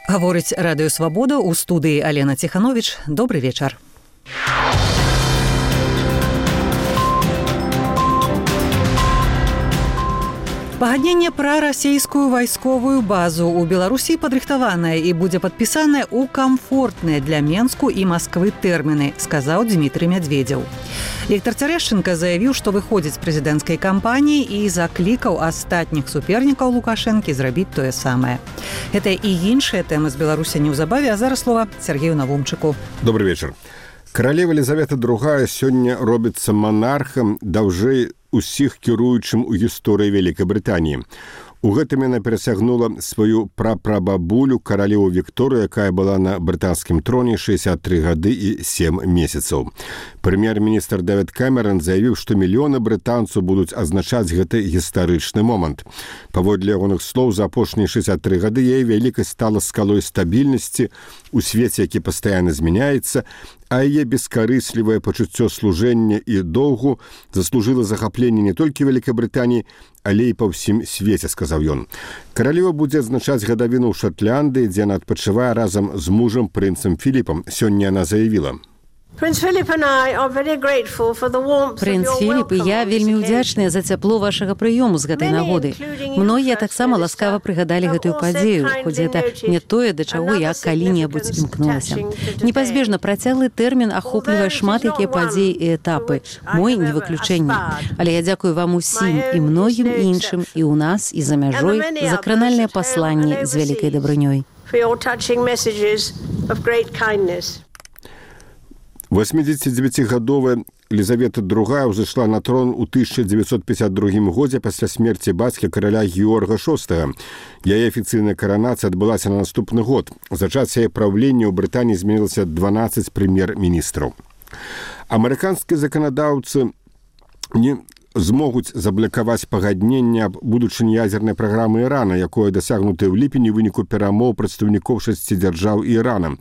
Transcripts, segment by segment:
Гаворыць Радыё Свабода, у студыі Алена Тиханович. Добрый вечер. Пагадненне пра расійскую вайсковую базу ў Беларусі падрыхтаванае і будзе падпісанае ў камфортныя для Менску і Масквы тэрміны, сказаў Дмітрый Медведзеў. Віктор Цярэшчынка заявіў, што выходзіць з прэзідэнцкай кампаніі і заклікаў астатніх супернікаў Лукашэнкі зрабіць тое самае. Гэта і іншыя тэмы з Беларусі неўзабаве, а зараз слова Сергею Навумчыку. Добрый вечер. Каралева Елизавета II сёння робіцца манархам даўжэй усіх кіруючым у гісторыі Вялікай Брытаніі. У гэтым яна перасягнула сваю прапрабабулю каралеву Вікторыю, якая была на брытанскім троне 63 гады і 7 месяцаў. Прэм'ер-міністр Дэвід Кэмерон заявіў, што мільёны брытанцаў будуць азначаць гэты гістарычны момант. Паводле ягоных слоў, за апошнія 63 гады яе вялікасць стала скалой стабільнасці у свеце, які пастаянна змяняецца, а яе бескарыслівае пачуццё служэння і доўгу заслужыла захапленне не толькі Вялікай Брытаніі, але і па ўсім свеце, сказаў ён. Каралева будзе адзначаць гадавіну ў Шатландыі, дзе яна адпачывае разам з мужам прынцам Філіпам. Сёння яна заявіла: Прынц Філіп і я вельмі ўдзячныя за цяпло вашага прыёму з гэтай нагоды. Многія таксама ласкава прыгадалі гэтую падзею, хоць гэта не тое, да чаго я калі-небудзь імкнулася. Непазбежна працяглы тэрмін ахоплівае шмат якія падзеі і этапы. Мой не выключэнне. Але я дзякую вам усім і многім іншым і ў нас, і за мяжой за кранальныя пасланні з вялікай дабрынёй. 89-гадовая Елизавета II ўзышла на трон у 1952 годзе пасля смерці бацькі караля Георга VI. Яе афіцыйная каранацыя адбылася на наступны год. За час яе праўлення ў Брытаніі змянілася 12 прэм'ер-міністраў. Амерыканскія заканадаўцы не змогуць заблакаваць пагадненне аб будучыні ядзернай праграмы Ірана, якое дасягнутае ў ліпені ў выніку перамоў прадстаўнікоў 6 дзяржаў і Ірана.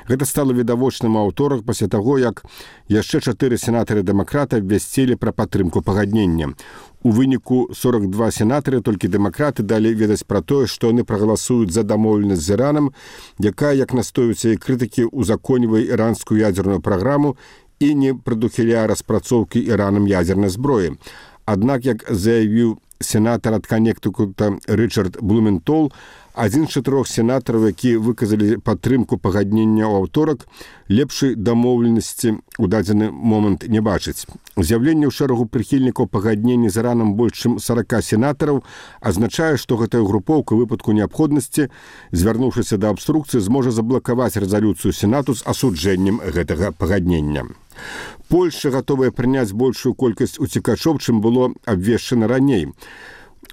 Гэта стала відавочным у аўторак пасля таго, як яшчэ 4 сенатары-дэмакраты абвясцілі пра падтрымку пагаднення. У выніку 42 сенатары, толькі дэмакраты далі ведаць пра тое, што яны прагаласуюць за дамоўленасць з Іранам, якая, як настойваюцца і крытыкі, узаконьвае іранскую ядзерную праграму і не прадухіляе распрацоўкі Іранам ядзернай зброі. Аднак, як заявіў сенатар ад Каннектыкута Рычард Блументол, адзін з 4 сенатараў, які выказалі падтрымку пагаднення ў аўторак, лепшай дамоўленасці ў дадзены момант не бачыць. З'яўленне ў шэрагу прыхільнікаў пагаднення з Іранам больш чым 40 сенатараў азначае, што гэтая групоўка ў выпадку неабходнасці, звярнуўшыся да абструкцыі, зможа заблакаваць рэзалюцыю Сенату з асуджэннем гэтага пагаднення. Польшча гатовая прыняць большую колькасць уцекачоў, чым было абвешчана раней.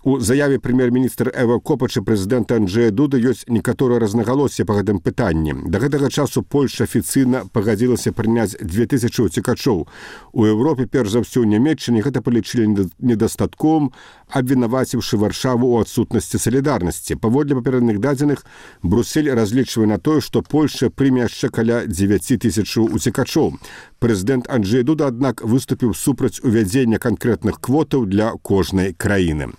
У заяве прэм'ер-міністр Эва Копач і прэзідэнта Анджэя Дуды ёсць некаторыя рознагалоссі па гэтым пытанні. Да гэтага часу Польшча афіцыйна пагадзілася прыняць 2000 уцекачоў. У Еўропе, перш за ўсё ў Нямецчыне, гэта палічылі недастатковым, абвінаваціўшы Варшаву ў адсутнасці салідарнасці. Паводле папярэдных дадзеных, Брюссель разлічвае на тое, што Польшча прыме яшчэ каля 9000 уцекачоў. Прэзідэнт Анджэй Дуда, аднак, выступіў супраць увядзення канкрэтных квотаў для кожнай краіны.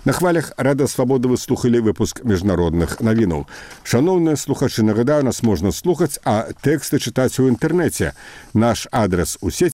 На хвалях Радыё Свабода вы слухалі выпуск міжнародных навінаў. Шаноўныя слухачы, нагадаю, нас можна слухаць, а тэксты чытаць у інтэрнэце. Наш адрес у сеці